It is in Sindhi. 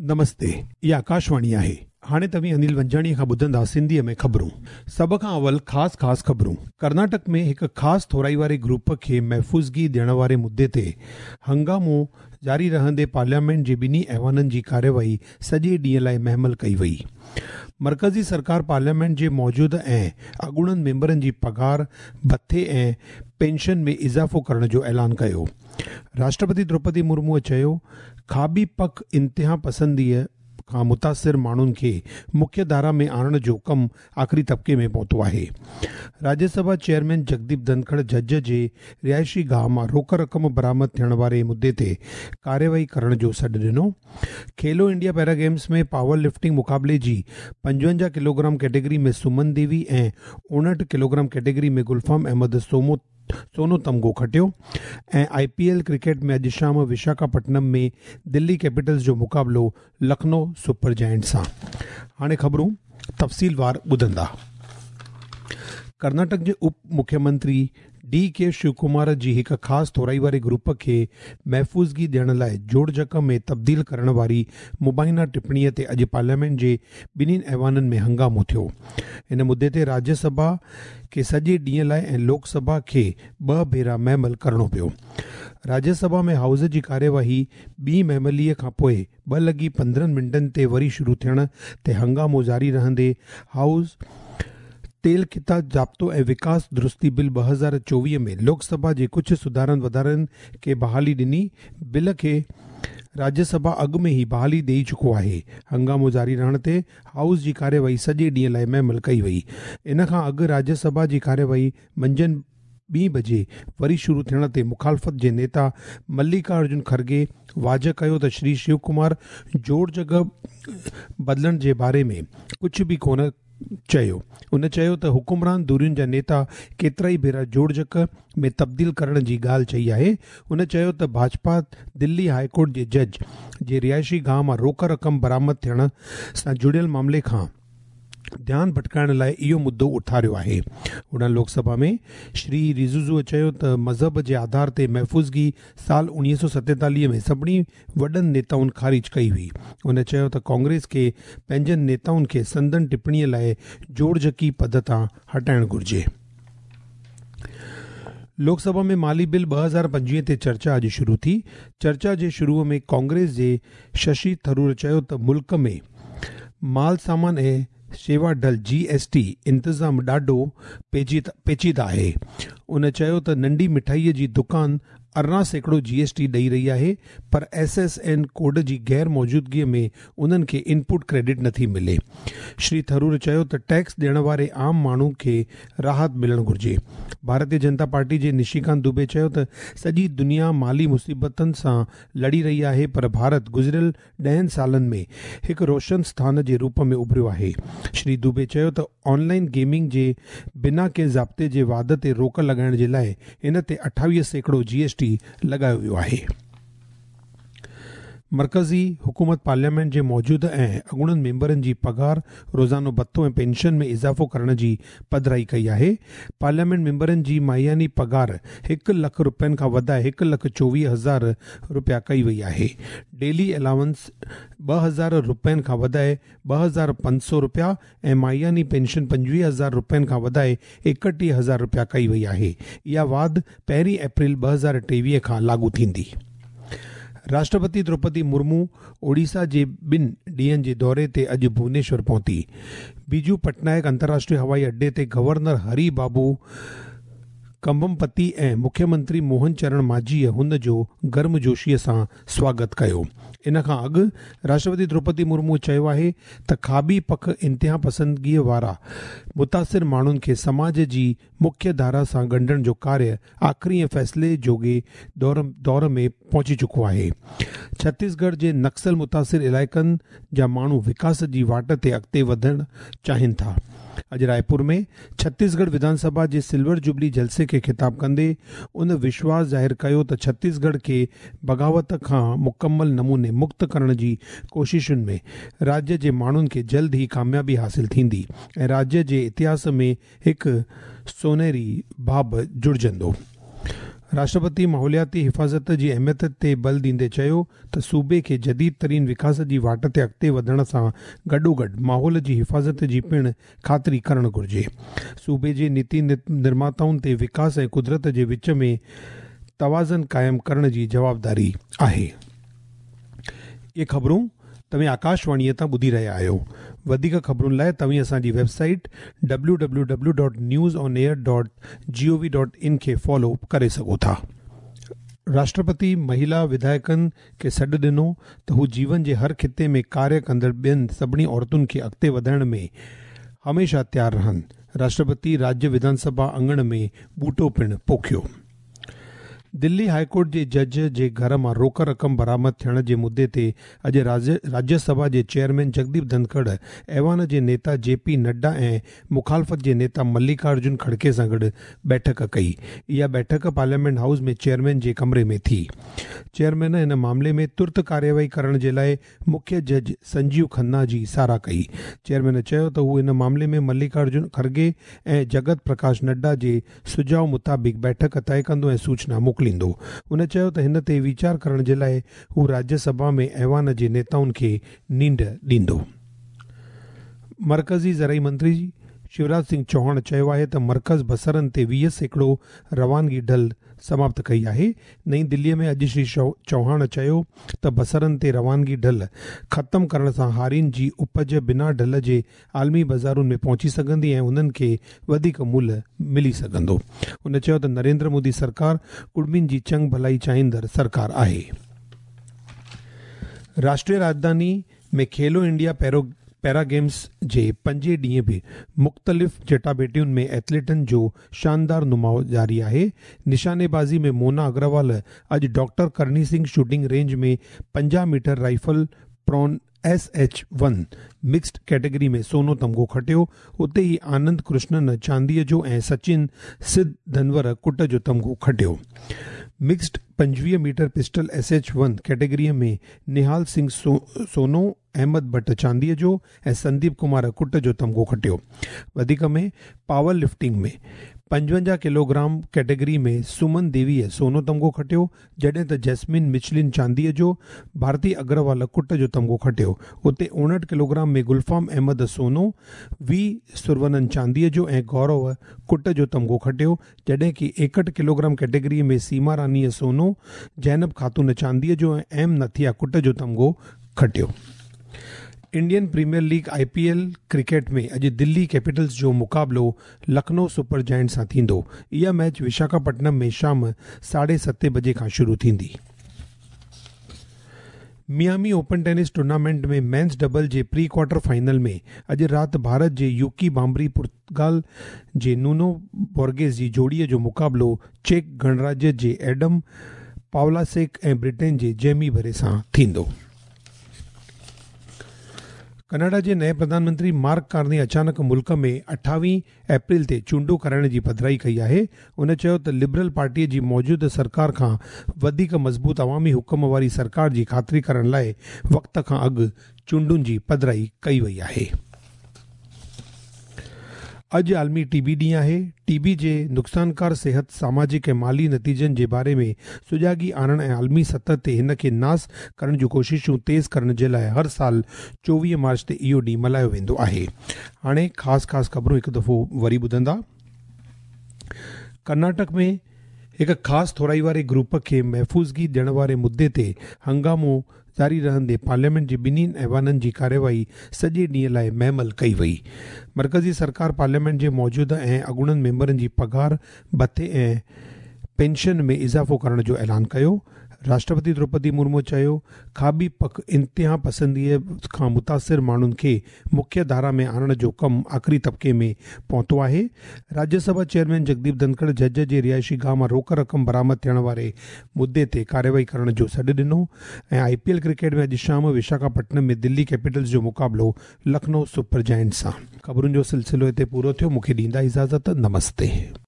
نمستي، هي آڪاشواڻي آهي. هاڻي توهين انيل ونجاڻيء کان ٻڌندا سنڌيء ۾ خبرون. سڀ کان اول خاص خاص خبرون. ڪرناٽڪ ۾ هڪ خاص ٿورائي واري گروپ کي محفوظگي ڏيڻ واري مدي تي هنگامو جاري رهندي پارليامينٽ جي ٻنهي ايوانن جي ڪارروائي سڄي ڏينهن لاء مهمل ڪئي وئي. مرڪزي سرڪار پارليامينٽ جي موجوده ۽ اڳوڻن ميمبرن جي پگهار، ڀٿي ۽ پينشن ۾ اضافو ڪرڻ جو اعلان ڪيو. راشٽرپتي دروپدي مرموء چيو، کاٻي پک انتهاپسنديء کان متاثر ماڻهن کي مکيه ڌارا ۾ آڻڻ جو ڪم آخري طبقي ۾ پهتو آهي. راجيه سڀا چيئرمين جگديپ ڌنکڙ جج جي رهائشي گاهه مان روڪ رقم برآمد ٿيڻ واري مدي تي ڪارروائي ڪرڻ جو سڏ ڏنو. Khelo India para games ۾ power lifting مقابلي جي 55 ڪلوگرام ڪيٽيگري ۾ سمن ديوي ۽ 59 ڪلوگرام ڪيٽيگري ۾ گلفام احمد سومو سونو تمغو کٽيو ۽ آء پي ايل ڪرڪيٽ ۾ اڄ شام وشاکاپٽنم ۾ دلي ڪيپيٽلز جو مقابلو لکنو سپر جائنٽس سان. هاڻي خبرون تفصيلوار ٻڌندا. ڪرناٽڪ جي اپ مکيه منتري ڊي ڪي شوڪمار جي هڪ خاص ٿورائي واري گروپ کي محفوظگي ڏيڻ لاء جوڙجڪ ۾ تبديل ڪرڻ واري مبينا ٽپڻي تي اڄ پارليامينٽ جي ٻنهي ايوانن ۾ هنگامو ٿيو. ان مدي تي راجيه سڀا کي سڄي ڏينهن لاء ۽ لوڪ سڀا کي ٻه ڀيرا مهمل ڪرڻو پيو. راجيه سڀا ۾ هائوس جي ڪاريواهي ٻي مهمليء کان پوء 2:15 تي وري شروع ٿيڻ تي هنگامو جاري رهندي هائوس تيل خطا ضابطو ۽ وڪاس درستي بل 2024 ۾ لوڪ سڀا جي ڪجهه سڌارن وڌارن کي بحالي ڏني. بل کي راجيه سڀا اڳ ۾ ئي بحالي ڏئي چڪو آهي. هنگامو جاري رهڻ تي هائوس جي ڪارروائي سڄي ڏينهن لاء مهمل ڪئي وئي. ان کان اڳ راجيه سڀا جي ڪارروائي منجهند ٻي بجي وري شروع ٿيڻ تي مخالفت جي نيتا مليڪا ارجن کرگي واضح ڪيو ته شري شيو ڪمار جوڙجڪ بدلڻ جي باري ۾ ڪجهه به ڪونه چيو. هن چيو ته حڪمران ڌرين جا نيتا ڪيترائي ڀيرا جوڙجڪ ۾ تبديل ڪرڻ جي ڳالهه چئي آهي. هن چيو ته ڀاجپا دلي هاء ڪورٽ جي جج جي رهائشي گاهه مان روڪ رقم برآمد ٿيڻ سان جڙيل معاملي کان ڌيان ڀٽڪائڻ لاء اهو مدو اٿاريو آهي. هوڏانهن لوڪ سڀا ۾ شري رجيجو چيو ته مذهب جي آڌار تي محفوظگي سال 1947 ۾ سڀني وڏن نيتائن خارج ڪئي هئي. هن چيو ته ڪانگريس کي پنهنجن نيتائن کي سندن ٽپڻي لاء جوڙجڪي پد تان هٽائڻ گهرجي. لوڪ سڀا ۾ مالي بل 2025 تي چرچا اڄ شروع ٿي. چرچا جي شروع ۾ ڪانگريس جي ششي ٿرور چيو ته ملڪ ۾ مال سامان ۽ شيوا ڍل، جي ايس ٽي، انتظام ڏاڍو پيچيده آهي. هن چيو ته ننڍي مٺائي جي دڪان 18% جي ايس ٽي ڏئي رهي آهي پر ايس ايس اين ڪوڊ جي غير موجودگي ۾ انهن کي انپوٽ ڪريڊٽ نٿي ملي. شري ٿرور چيو ته ٽيڪس ڏيڻ واري عام ماڻهو کي راحت ملڻ گهرجي. ڀارتي جنتا پارٽي جي نشيڪانت دوبي چيو ته سڄي دنيا مالي مصيبتن سان لڙي رهي آهي پر ڀارت گذريل ڏهن سالن ۾ هڪ روشن اسٿان جي روپ ۾ اڀريو آهي. شري دوبي چيو ته آن لائن گيمنگ جي بنا ڪنهن ضابطي جي واڌ تي روڪ لڳائڻ جي لاء ان تي 28% جي ايس ٽي لڳايو ويو آهي. مرڪزي حڪومت پارليامينٽ جي موجوده ۽ اڳوڻن ميمبرن جي پگهار، روزانو ڀتو ۽ پينشن ۾ اضافو ڪرڻ جي پڌرائي ڪئي آهي. پارليامينٽ ميمبرن جي ماهياني پگهار هڪ لک رپين کان وڌائي 1,24,000 رپيا ڪئي وئي آهي. ڊيلي الائونس 2000 رپين کان وڌائي 2500 رپيا ۽ ماهياني پينشن 25,000 رپين کان وڌائي 31,000 رپيا ڪئي وئي آهي. اها واڌ پهرين اپريل 2023 کان لاڳو ٿيندي. راشٽرپتي دروپدي مرمو اوڙيسا جي ٻن ڏينهن جي دوري تي اڄ ڀونيشور پهتي. بيجو پٽنائڪ انترراشٽريه هوائي اڏي تي گورنر هري بابو ڪمبمپتي ۽ مکيه منتري موهن چرڻ ماجيء هن جو گرمجوشيء سان سواگت ڪيو. ان کان اڳ راشٽرپتي دروپدي مرمو چيو آهي ته کاٻي پک انتهاپسندگيء وارا متاثر ماڻهن کي سماج جي مکيه ڌارا سان ڳنڍڻ جو ڪاريه آخري ۽ فيصلي جوڳي دور ۾ پهچي چڪو آهي. ڇتيسڳڙهه جي نڪسل متاثر علائقن جا ماڻهو وڪاس جي واٽ تي اڳتي وڌڻ چاهين ٿا. اڄ رائپور ۾ ڇتيسڳڙهه وڌان سڀا جي سلور جوبلي جلسي کي خطاب ڪندي ان وشواس ظاهر ڪيو ته ڇتيسڳڙهه کي بغاوت کان مڪمل نموني مڪت ڪرڻ جي ڪوششن ۾ راجيه جي ماڻهن کي جلد ئي ڪاميابي حاصل ٿيندي ۽ راجيه جي اتهاس ۾ هڪ سونهري باب جڙجندو. راشٽرپتي ماحولياتي حفاظت جي اهميت تي بل ڏيندي چيو ته صوبي کي جديد ترين وڪاس جي واٽ تي اڳتي وڌڻ سان گڏوگڏ ماحول جي حفاظت جي پڻ خاطري ڪرڻ گهرجي. صوبي جي نيتي نرماتائن تي وڪاس ۽ قدرت جي وچ ۾ توازن قائم ڪرڻ جي جوابداري آهي. اهي خبرون توهين آڪاشواڻيء تان ٻڌي رهيا آهيو. وڌيڪ خبرن لاء توهين اسان جي web site W W W dot news on air dot G O V dot in کي فالو ڪري سگهو ٿا. راشٽرپتي مهيلا وڌايڪن کي سڏ ڏنو ته هو جيون جي هر خطي ۾ ڪاريه ڪندڙ ٻين سڀني عورتن کي اڳتي وڌائڻ ۾ هميشه تيار رهن. راشٽرپتي راجيه وڌان سڀا اڱڻ ۾ ٻوٽو پڻ پوکيو. دلي هاء ڪورٽ جي جج جي گهر مان روڪ رقم برآمد ٿيڻ جي مدعي تي اڄ راجيه سڀا جي چيئرمين جگديپ ڌنکڙ ايوان جي نيتا جي پي نڊا ۽ مخالفت جي نيتا مليڪا ارجن کڙڪي سان گڏ بيٺڪ ڪئي. اها بيٺڪ پارليامينٽ هائوس ۾ چيئرمين جي ڪمري ۾ ٿي. چيئرمين هن معاملي ۾ ترت ڪارروائي ڪرڻ جي لاء مکيه جج سنجيو کنا جي ساراهه ڪئي. چيئرمين چيو ته هو ان معاملي ۾ مليڪا ارجن کرگي ۽ جگت پرڪاش نڊا جي سجهاء مطابق بيٺڪ طئي ڪندو ۽ سوچنا موڪليندو. هن چيو ته هن تي ويچار ڪرڻ جي لاء هو راجيه سڀا ۾ ايوان جي نيتائن کي نينڍ ڏيندو. مرڪزي زرعي منتري شيوراج سنگهه چوهاڻ چيو آهي ته مرڪز بصرن تي 20% روانگي ڍل سماپت ڪئي آهي. نئين دلي ۾ اڄ شري چوهاڻ چيو ته بصرن تي روانگي ڍل ختم ڪرڻ سان هارين جي اپج بنا ڍل جي عالمي بازارن ۾ پهچي سگهندي ۽ انهن کي وڌيڪ ملهه ملي سگهندو. هن چيو ته نريندر مودي سرڪار ڪڙمين جي چڱ ڀلائي چاهيندڙ سرڪار آهي. راشٽريه راڄڌاني ۾ کيلو انڊيا پيرا گيمز جي پنجين ڏينهن به مختلف چٽاڀيٽين ۾ ايٿليٽن جو شاندار نماء جاري آهي. نشاني بازي ۾ مونا اگروال اڄ doctor Karni Singh shooting range ۾ 50 metre rifle prone S H one mixed category ۾ سونو تمغو کٽيو، اتي ئي آنند ڪرشنن چانديء جو ۽ سچن سڌ ڌنور ڪٽ جو تمغو کٽيو. Mixed 25 metre pistol S H one category ۾ Nihal Singh سونو، احمد ڀٽ چانديء جو ۽ سنديپ ڪمار ڪٽ جو تمغو کٽيو. وڌيڪ ۾ پاور لفٽنگ ۾ 55 ڪلوگرام ڪيٽيگري ۾ سمن ديويء سونو تمغو کٽيو، جڏهن ته جيسمين مچلن چانديء جو، ڀارتي اگروال ڪٽ جو تمغو کٽيو. اتي 59 ڪلوگرام ۾ گلفام احمد سونو، وي سرونن چانديء جو ۽ گورو ڪٽ جو تمغو کٽيو، جڏهن ڪي 61 ڪلوگرام ڪيٽيگري ۾ سيما رانيء سونو، زينب خاتون چانديء جو ۽ ايم نٿيا ڪٽ جو تمغو کٽيو. Indian Premier League, I P L, cricket ۾ اڄ دلي ڪيپيٽلز جو مقابلو لکنؤ سپر جائنٽس سان ٿيندو. اها ميچ وشاکاپٽنم ۾ شام ساڍي ستين بجي کان شروع ٿيندي. Miami open tennis tournament ۾ men's double جي پري ڪوارٽر فائنل ۾ اڄ رات ڀارت جي يوڪي ڀامبري پرتگال جي نونو بورگيس جي جوڙي جو مقابلو چيڪ گڻراجيه جي ايڊم پاولاسيڪ ۽ برٽين جي جيمي بري سان ٿيندو. ڪئناڊا جي نئين پرڌان منتري مارڪ ڪارني اچانڪ ملڪ ۾ 28 اپريل تي چونڊون ڪرائڻ جي پڌرائي ڪئي آهي. هن چيو ته لبرل پارٽي جي موجوده سرڪار کان وڌيڪ مضبوط عوامي حڪم واري سرڪار جي خاطري ڪرڻ لاء وقت کان اڳ چونڊن جي پڌرائي ڪئي وئي آهي. اڄ عالمي ٽي بي ڏينهن آهي. ٽي بي جي نقصانڪار صحت، سماجڪ ۽ مالي نتيجن جي باري ۾ سجاڳي آڻڻ ۽ عالمي سطح تي هن کي ناس ڪرڻ جون ڪوششون تيز ڪرڻ جي لاء هر سال 24 مارچ تي اهو ڏينهن ملهايو ويندو آهي. هاڻي خاص خاص خبرون هڪ دفعو وري ٻڌندا. ڪرناٽڪ ۾ هڪ خاص ٿورائي واري گروپ کي محفوظگي ڏيڻ واري مدعي تي هنگامو جاري رهندي پارليامينٽ جي ٻنهي ايوانن جي ڪارروائي سڄي ڏينهن لاء مهمل ڪئي وئي. مرڪزي سرڪار پارليامينٽ جي موجوده ۽ اڳوڻن ميمبرن جي پگهار، ڀتي ۽ پينشن ۾ اضافو ڪرڻ جو اعلان ڪيو. راشٽرپتي دروپدي مرمو چيو، کاٻي پک انتها پسنديء کان متاثر ماڻهن کي مکيه ڌارا ۾ آڻڻ جو ڪم آخري طبقي ۾ پهتو آهي. راجيه سڀا چيئرمين جگديپ ڌنکڙ جج جي رهائشي گاهه مان روڪ رقم برآمد ٿيڻ واري مدعي تي ڪارروائي ڪرڻ جو سڏ ڏنو ۽ آء پي ايل ڪرڪيٽ ۾ اڄ شام وشاکاپٽنم ۾ دلي ڪيپيٽلز جو مقابلو لکنؤ سپر جائنٽس سان. خبرن جو سلسلو هتي پورو ٿيو مون کي ڏيندا اجازت نمستي.